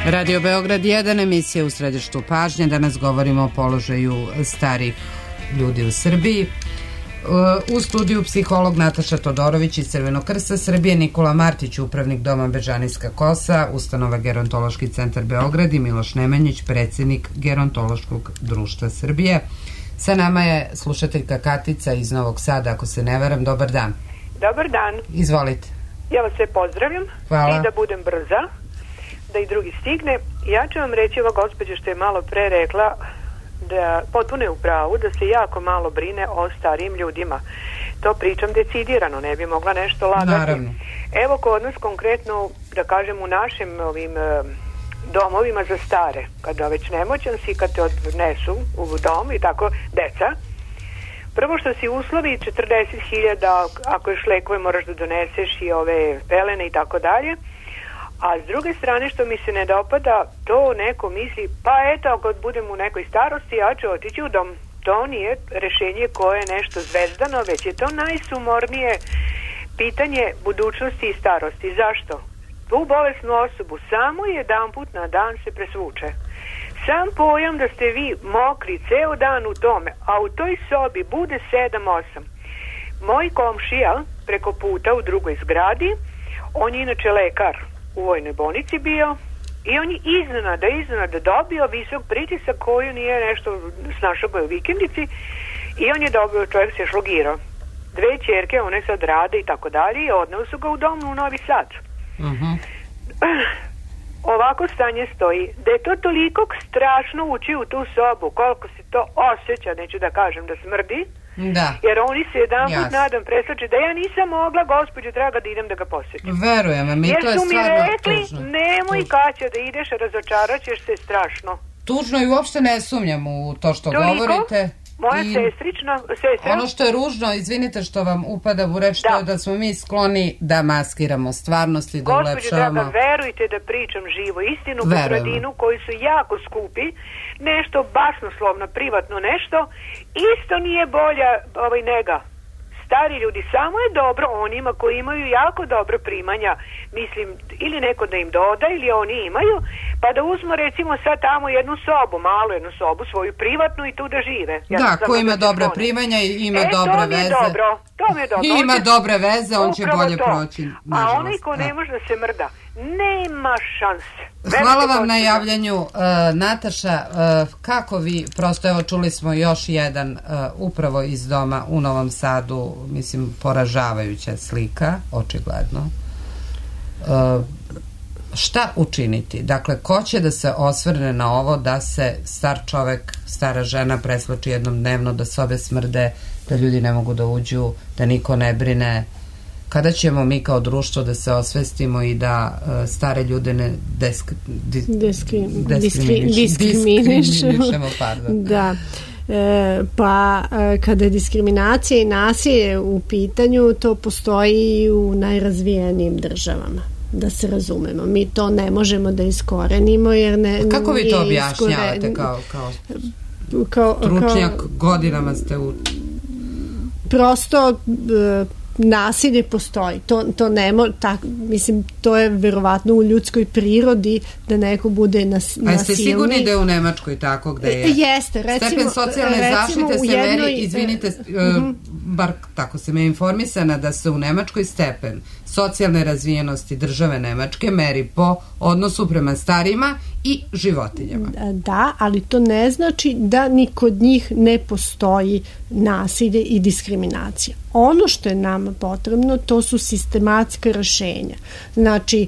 Radio Beograd jedan, emisija u središtu pažnje. Danas govorimo o položaju starih ljudi u Srbiji. U studiju psiholog Nataša Todorović iz Crvenog krsta Srbije, Nikola Martić, upravnik doma Bežanijska kosa, ustanova Gerontološki centar Beograd i Miloš Nemanjić, predsjednik Gerontološkog društva Srbije. Sa nama je slušateljka Katica iz Novog Sada, ako se ne varam. Dobar dan. Dobar dan. Izvolite. Ja vas sve pozdravljam. Hvala. I da budem brza, da i drugi stigne. Ja ću vam reći, ova gospođa što je malo pre rekla, da potpuno je u pravu, da se jako malo brine o starijim ljudima. To pričam decidirano, ne bi mogla nešto lagati. Naravno. Evo kod nas konkretno, da kažem, u našim ovim domovima za stare, kada već nemoćan si, kad te odnesu u dom i tako, deca, prvo što si uslovi četrdeset hiljada, ako još lekove moraš da doneseš i ove pelene i tako dalje. A s druge strane što mi se ne dopada, to neko misli, pa eto, ako budem u nekoj starosti, ja ću otići u dom. To nije rešenje koje je nešto zvezdano, već je to najsumornije pitanje budućnosti i starosti. Zašto? Tu bolesnu osobu samo jedan put na dan se presvuče. Sam pojam da ste vi mokri ceo dan u tome, a u toj sobi bude sedam osam. Moj komšija preko puta u drugoj zgradi, on je inače lekar, u vojnoj bolnici bio, i on je iznenada, iznenada dobio visok pritisak koju nije nešto snašao u vikendici, i on je dobio, čovjek se šlogirao. Dve ćerke, one sad rade i tako dalje, i odneo su ga u dom u Novi Sad. Uh-huh. Ovako stanje stoji, da je to toliko strašno ući u tu sobu, koliko se to osjeća, neću da kažem da smrdi, da. Jer oni se jedan put nadam preslače da ja nisam mogla, gospođo draga, da idem da ga posjetim. Verujem, mi jer to je stvarno mi rekli, tužno. Nemoj tužno. Kaća da ideš, razočaraćeš se strašno. Tužno i uopšte ne sumnjam u to što Toliko? Govorite. Moja I sestrična, sestra. Ono što je ružno, izvinite što vam upada u reč, to je da smo mi skloni da maskiramo stvarnost i da gospođo ulepšavamo. draga, verujte da pričam živo istinu, potradinu koji su jako skupi, nešto basnoslovno, privatno nešto, isto nije bolja ovaj nega. Stari ljudi, samo je dobro onima koji imaju jako dobro primanja, mislim, ili neko da im doda, ili oni imaju, pa da uzmu recimo sad tamo jednu sobu, malu jednu sobu, svoju privatnu, i tu da žive. Ja da, ko ima dobra primanja i ima e, dobre to mi je veze. Dobro, to mi je dobro. I ima dobre veze, on će bolje to. proći. A onaj ko ne može da se mrda, nema šanse. Hvala vam na javljanju, uh, Nataša. Uh, kako vi, prosto evo čuli smo još jedan uh, upravo iz doma u Novom Sadu, mislim poražavajuća slika, očigledno. Uh, šta učiniti? Dakle, ko će da se osvrne na ovo da se star čovek, stara žena presloči jednom dnevno, da sobe smrde, da ljudi ne mogu da uđu, da niko ne brine? Kada ćemo mi kao društvo da se osvestimo i da uh, stare ljude ne desk, di, Diskri, diskriminiš, diskriminišemo? Pardon. Da. E, pa e, kada je diskriminacija i nasilje u pitanju, to postoji i u najrazvijenijim državama, da se razumemo. Mi to ne možemo da iskorenimo jer ne... A kako vi to objašnjavate iskore... kao, kao, kao stručnjak, kao, godinama ste u... Prosto e, nasilje postoji. To, to ne mo, tak, mislim, to je verovatno u ljudskoj prirodi da neko bude nas, nasilni. A jeste sigurni da je u Nemačkoj tako gde je? Jeste, recimo... Stepen socijalne recimo, zaštite se jednoj, meri, izvinite, uh, uh-huh. bar tako sam je informisana da se u Nemačkoj stepen socijalne razvijenosti države Nemačke meri po odnosu prema starima i životinjama. Da, ali to ne znači da ni kod njih ne postoji nasilje i diskriminacija. Ono što je nama potrebno, to su sistematska rešenja. Znači,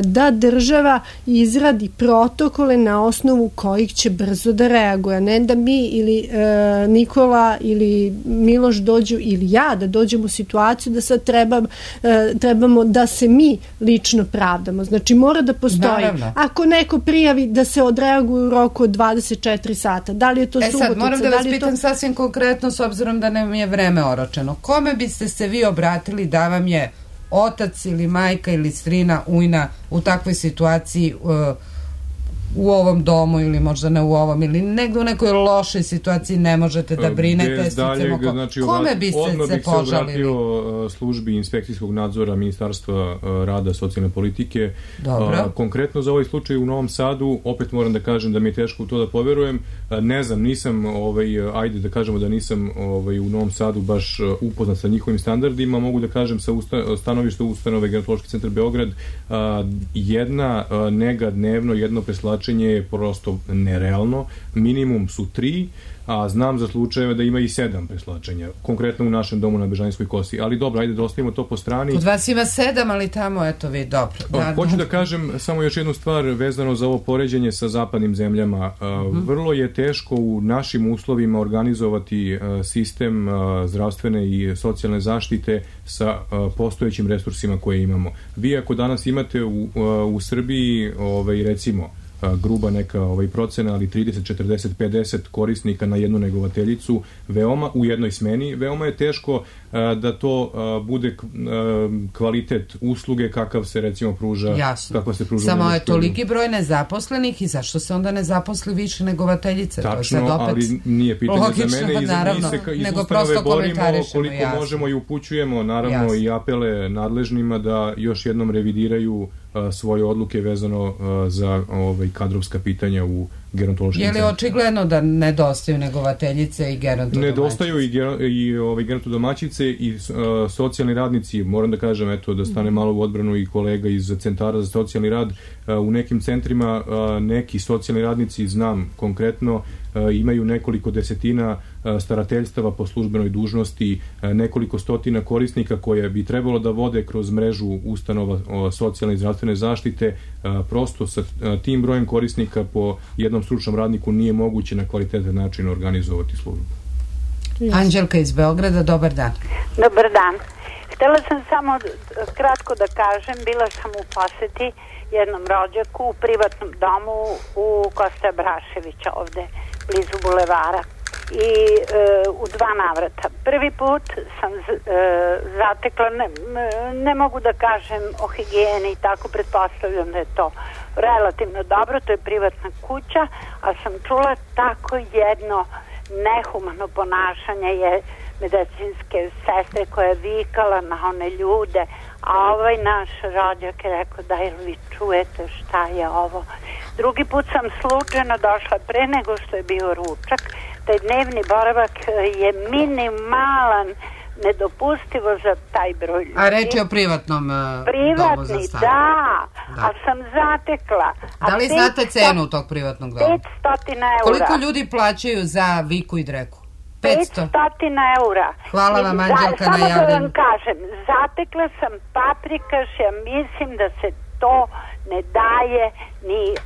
da država izradi protokole na osnovu kojih će brzo da reaguje. Ne da mi ili Nikola ili Miloš dođu ili ja da dođemo u situaciju da sad treba, trebamo da se mi lično pravdamo. Znači, mora da postoji. Naravno. Ako neko prijavi da se odreaguje u roku od dvadeset četiri sata, da li je to subotica? E sad, moram da vas pitam to... sasvim konkretno, s obzirom da nam je vreme oročeno. Kome biste se vi obratili da vam je otac ili majka ili strina, ujna u takvoj situaciji uh, u ovom domu ili možda ne u ovom ili negdje u nekoj lošoj situaciji ne možete da brinete? Daljeg, ko... znači, Kome biste odmah se bih požalili? se obratio službi inspekcijskog nadzora Ministarstva rada, socijalne politike. Dobro. Konkretno za ovaj slučaj u Novom Sadu, opet moram da kažem da mi je teško u to da poverujem. Ne znam, nisam, ovaj, ajde da kažemo da nisam ovaj, u Novom Sadu baš upoznat sa njihovim standardima. Mogu da kažem sa usta, stanovišta ustanove Gerontološki centar Beograd, jedna nega dnevno, jedno preslačenje je prosto nerealno. Minimum su tri, a znam za slučajeve da ima i sedam preslačenja, konkretno u našem domu na Bežanijskoj kosi. Ali dobro, ajde da ostavimo to po strani. Kod vas ima sedam, ali tamo, eto vi, dobro. Da, hoću da kažem samo još jednu stvar vezano za ovo poređenje sa zapadnim zemljama. Mm-hmm. Vrlo je teško u našim uslovima organizovati sistem zdravstvene i socijalne zaštite sa postojećim resursima koje imamo. Vi ako danas imate u, u Srbiji, ovaj, recimo, gruba neka ovaj procena, ali trideset, četrdeset, pedeset korisnika na jednu negovateljicu, veoma u jednoj smeni, veoma je teško a, da to a, bude a, kvalitet usluge kakav se recimo pruža. Jasno. Kakva se pruža. Samo je toliki broj nezaposlenih i zašto se onda ne zaposli više negovateljice? Tačno, to je opet ali nije pitanje logično, za mene i za naravno, mi se iz nego ustanove borimo koliko jasno. možemo i upućujemo naravno jasno. I apele nadležnima da još jednom revidiraju a, svoje odluke vezano a, za ovaj kadrovska pitanja u gerontološkim centrima. Je li očigledno da nedostaju negovateljice i gerontodomaćice? Nedostaju i, ger, i ovaj, gerontodomaćice i uh, socijalni radnici. Moram da kažem, eto, da stane malo u odbranu i kolega iz centara za socijalni rad. Uh, u nekim centrima uh, neki socijalni radnici, znam konkretno, uh, imaju nekoliko desetina uh, starateljstava po službenoj dužnosti, uh, nekoliko stotina korisnika koje bi trebalo da vode kroz mrežu ustanova uh, socijalne i zdravstvene zaštite. Uh, prosto sa uh, tim brojem korisnika po jednom stručnom radniku nije moguće na kvalitetan način organizovati službu. Anđelka iz Beograda, dobar dan. Dobar dan. Htela sam samo kratko da kažem, bila sam u poseti jednom rođaku u privatnom domu u Kosta Braševića ovde, blizu bulevara. I e, u dva navrata. Prvi put sam z, e, zatekla, ne, ne mogu da kažem o higijeni i tako, pretpostavljam da je to relativno dobro, to je privatna kuća, a sam čula tako jedno nehumano ponašanje je medicinske sestre koja je vikala na one ljude, a ovaj naš rođak je rekao da li vi čujete šta je ovo. Drugi put sam slučajno došla pre nego što je bio ručak. Taj dnevni boravak je minimalan nedopustivo za taj broj ljudi. A reč je o privatnom uh, Privatni, domu za stare. da, Da. a sam zatekla. A Da li petsto znate cenu tog privatnog doma? petsto eura. Koliko ljudi plaćaju za Viku i Dreku? petsto. petsto eura. Hvala vam, I za- Anđelka, na Samo da javljanju. vam kažem, zatekla sam paprikaš, ja mislim da se to ne daje ni uh,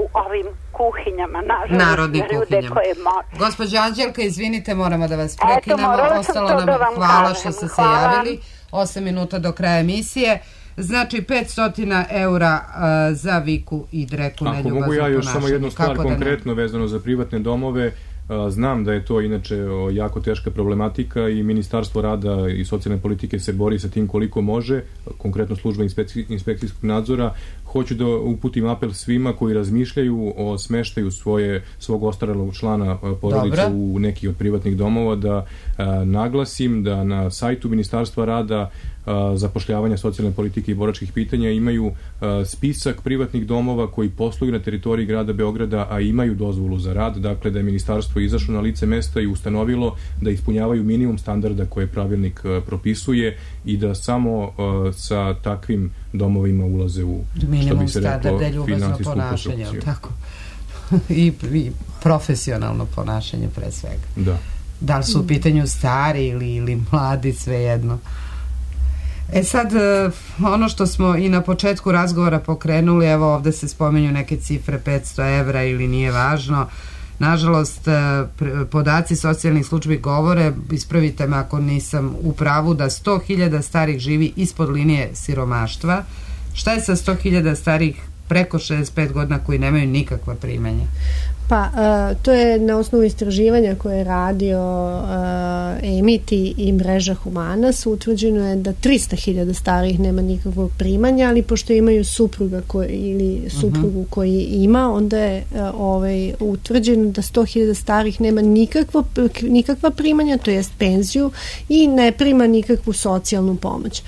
u ovim kuhinjama, nažalost, Narodnim za ljude kuhinjama. koje mo- Gospođo Anđelka, izvinite, moramo da vas Eto, prekinemo. morala sam Ostalo to nam da vam hvala kažem. što ste se Hvala. javili. osam minuta do kraja emisije. Znači petsto eura uh, za Viku i Dreku. Ako mogu ja još samo jednu stvar konkretno vezano za privatne domove. Znam da je to inače jako teška problematika i Ministarstvo rada i socijalne politike se bori sa tim koliko može, konkretno služba inspekcijskog nadzora. Hoću da uputim apel svima koji razmišljaju o smeštaju svoje, svog ostarelog člana porodice Dobro. u neki od privatnih domova, da a, naglasim da na sajtu Ministarstva rada, a, zapošljavanja, socijalne politike i boračkih pitanja imaju a, spisak privatnih domova koji posluju na teritoriji grada Beograda, a imaju dozvolu za rad, dakle da je ministarstvo izašlo na lice mesta i ustanovilo da ispunjavaju minimum standarda koje pravilnik a, propisuje i da samo a, sa takvim domovima ulaze u, što bi se reklo, finansijsku konstrukciju. Tako. I, I profesionalno ponašanje pre svega. Da. Da li su u pitanju stari ili, ili mladi, svejedno. E sad, ono što smo i na početku razgovora pokrenuli, evo ovde se spomenju neke cifre petsto evra ili nije važno. Nažalost, podaci socijalnih službi govore, ispravite me ako nisam u pravu, da sto hiljada starih živi ispod linije siromaštva. Šta je sa sto hiljada starih preko šezdeset pet godina koji nemaju nikakva primanja? Pa, uh, to je na osnovu istraživanja koje je radio uh, Emiti i mreža Humanas, utvrđeno je da tristo hiljada starih nema nikakvog primanja, ali pošto imaju supruga koji, ili suprugu uh-huh. koji ima, onda je uh, ovaj, utvrđeno da sto hiljada starih nema nikakvo, nikakva primanja, to jest penziju, i ne prima nikakvu socijalnu pomoć.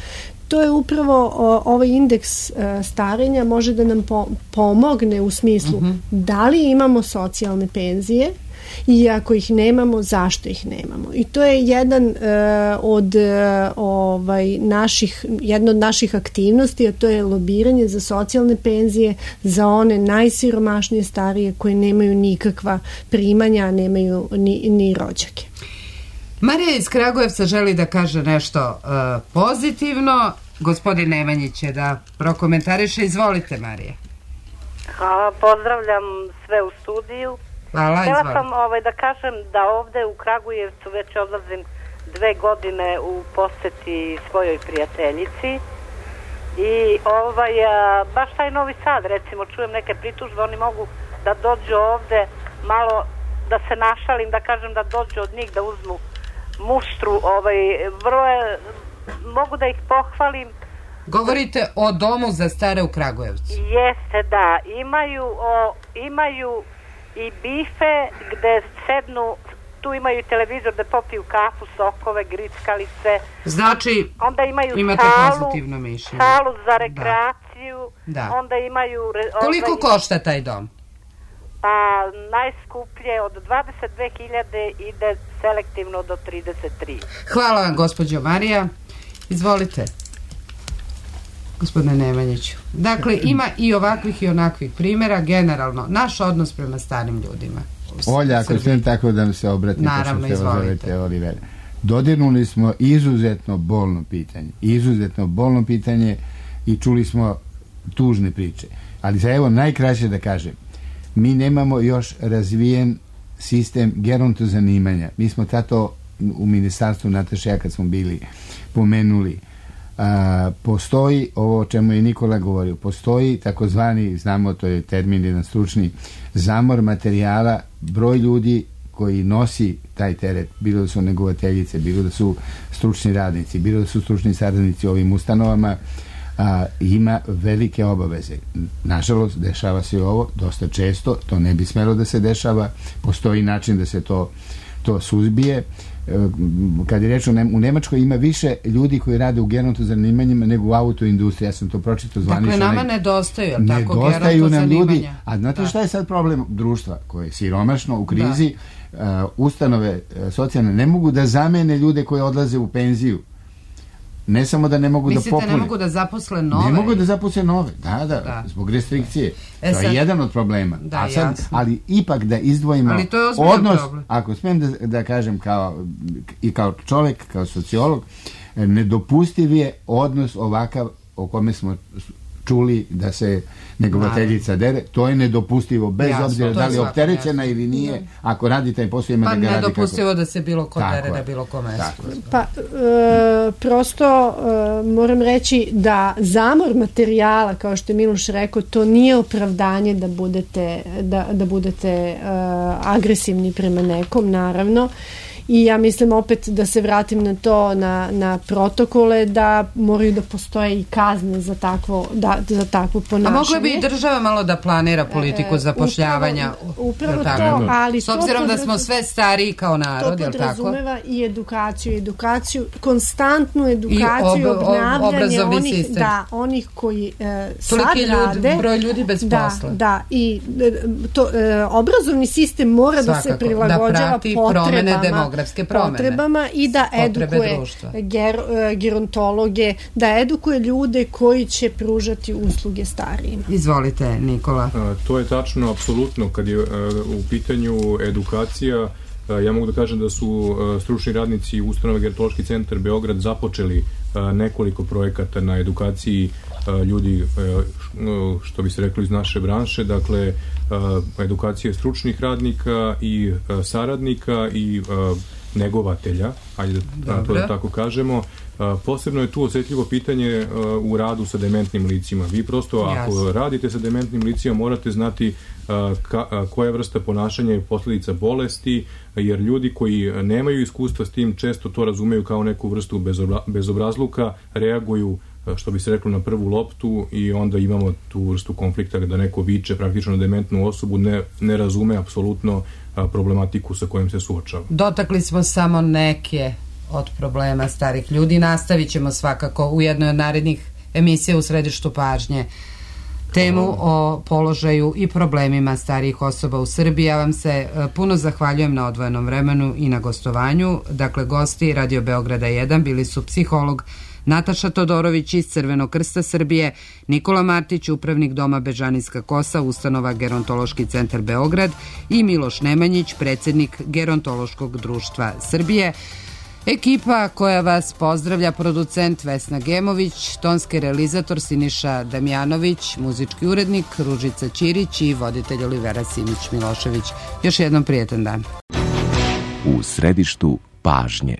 To je upravo o, ovaj indeks e, starenja može da nam po, pomogne u smislu uh-huh. da li imamo socijalne penzije i ako ih nemamo, zašto ih nemamo. I to je jedan e, od e, ovaj, naših, jedna od naših aktivnosti, a to je lobiranje za socijalne penzije za one najsiromašnije starije koje nemaju nikakva primanja, a nemaju ni, ni rođake. Marija iz Kragujevca želi da kaže nešto uh, pozitivno. Gospodin Nemanjić će da prokomentariše. Izvolite, Marija. Hvala, pozdravljam sve u studiju. Hvala, Htjela izvolite. sam ovaj, da kažem da ovde u Kragujevcu već odlazim dve godine u poseti svojoj prijateljici i ovaj, a, baš taj Novi Sad, recimo, čujem neke pritužbe, oni mogu da dođu ovde malo da se našalim, da kažem da dođu od njih da uzmu muštru, ovaj, vrlo je, mogu da ih pohvalim. Govorite o domu za stare u Kragujevcu. Jeste, da, imaju, o, imaju i bife gde sednu, tu imaju televizor da popiju kafu, sokove, grickalice. Znači, onda imaju imate salu, pozitivno mišljenje. salu za rekreaciju, da. Onda imaju... Koliko ovaj, košta taj dom? Pa najskuplje od dvadeset dve hiljade ide selektivno do trideset tri. Hvala vam, gospođo Marija. Izvolite, gospodine Nemanjiću. Dakle, ima i ovakvih i onakvih primjera. Generalno, naš odnos prema starim ljudima. Olja, ako smijem tako da mi se obratim. Naravno, izvolite. Oliver. Dodirnuli smo izuzetno bolno pitanje. Izuzetno bolno pitanje i čuli smo tužne priče. Ali za evo najkraće da kažem, mi nemamo još razvijen sistem gerontozanimanja. Mi smo tato u ministarstvu Nataša ja kad smo bili pomenuli. A, postoji ovo o čemu je Nikola govorio, postoji takozvani, znamo to je termin jedan stručni, zamor materijala, broj ljudi koji nosi taj teret, bilo da su negovateljice, bilo da su stručni radnici, bilo da su stručni saradnici u ovim ustanovama, a, ima velike obaveze. Nažalost, dešava se ovo dosta često, to ne bi smelo da se dešava, postoji način da se to, to suzbije. kad je reč o u Nemačkoj ima više ljudi koji rade u geronto zanimanjima nego u autoindustriji. Ja sam to pročitao zvanično. Dakle, nama nedostaju, ali tako, nedostaju nam ljudi. A znate da. Šta je sad problem društva koje je siromašno u krizi? Da. Uh, ustanove uh, socijalne ne mogu da zamene ljude koji odlaze u penziju. Ne samo da ne mogu Mislite, da popune. Mislite, ne mogu da zaposle nove? Ne mogu da zaposle nove, da, da, da. Zbog restrikcije. E, to sad, je jedan od problema. Da, A sad, ali ipak da izdvojimo odnos, problem. Ako smijem da, da kažem kao, i kao čovjek, kao sociolog, nedopustiv je odnos ovakav o kome smo čuli da se negovateljica dere, to je nedopustivo, bez Jasno, obzira da li je opterećena ili nije, ne. Ako radi taj posao ima pa da ga radi. Pa nedopustivo kako... da se bilo ko dere na bilo ko mesto. Pa, e, prosto e, moram reći da zamor materijala, kao što je Miloš rekao, to nije opravdanje da budete, da, da budete e, agresivni prema nekom, naravno. I ja mislim opet da se vratim na to, na, na protokole, da moraju da postoje i kazne za takvo, da, za takvo ponašanje. A mogla bi i država malo da planira politiku e, zapošljavanja. Upravo, upravo to, ali s obzirom da smo sve stariji kao narod, je li tako? To podrazumeva i edukaciju, edukaciju, konstantnu edukaciju, I ob, obnavljanje ob, onih, sistem. da, onih koji e, sad ljudi, rade. Broj ljudi bez da, posla. Da, i to, e, obrazovni sistem mora Svakako, da se prilagođava da potrebama. potrebama i da edukuje ger, gerontologe, da edukuje ljude koji će pružati usluge starijima. Izvolite, Nikola. A, to je tačno, apsolutno. Kad je a, u pitanju edukacija, a, ja mogu da kažem da su a, stručni radnici ustanove Gerontološki centar Beograd započeli a, nekoliko projekata na edukaciji a, ljudi, a, što bi se rekli iz naše branše, dakle a, edukacije stručnih radnika i a, saradnika i a, negovatelja, ajde da to da tako kažemo. Posebno je tu osjetljivo pitanje u radu sa dementnim licima. Vi prosto ako Jasne. radite sa dementnim licima morate znati ka, koja vrsta ponašanja je posljedica bolesti, jer ljudi koji nemaju iskustva s tim često to razumeju kao neku vrstu bezobra, bezobrazluka, reaguju što bi se reklo na prvu loptu i onda imamo tu vrstu konflikta da neko viče praktično na dementnu osobu, ne, ne razume apsolutno problematiku sa kojom se suočava. Dotakli smo samo neke od problema starih ljudi. Nastavit ćemo svakako u jednoj od narednih emisija u središtu pažnje temu o položaju i problemima starijih osoba u Srbiji. Ja vam se puno zahvaljujem na odvojenom vremenu i na gostovanju. Dakle, gosti Radio Beograda jedan bili su psiholog Nataša Todorović iz Crvenog krsta Srbije, Nikola Martić, upravnik Doma Bežanijska kosa, ustanova Gerontološki centar Beograd i Miloš Nemanjić, predsjednik Gerontološkog društva Srbije. Ekipa koja vas pozdravlja, producent Vesna Gemović, tonski realizator Siniša Damjanović, muzički urednik Ružica Ćirić i voditelj Olivera Simić Milošević. Još jednom prijetan dan. U središtu pažnje.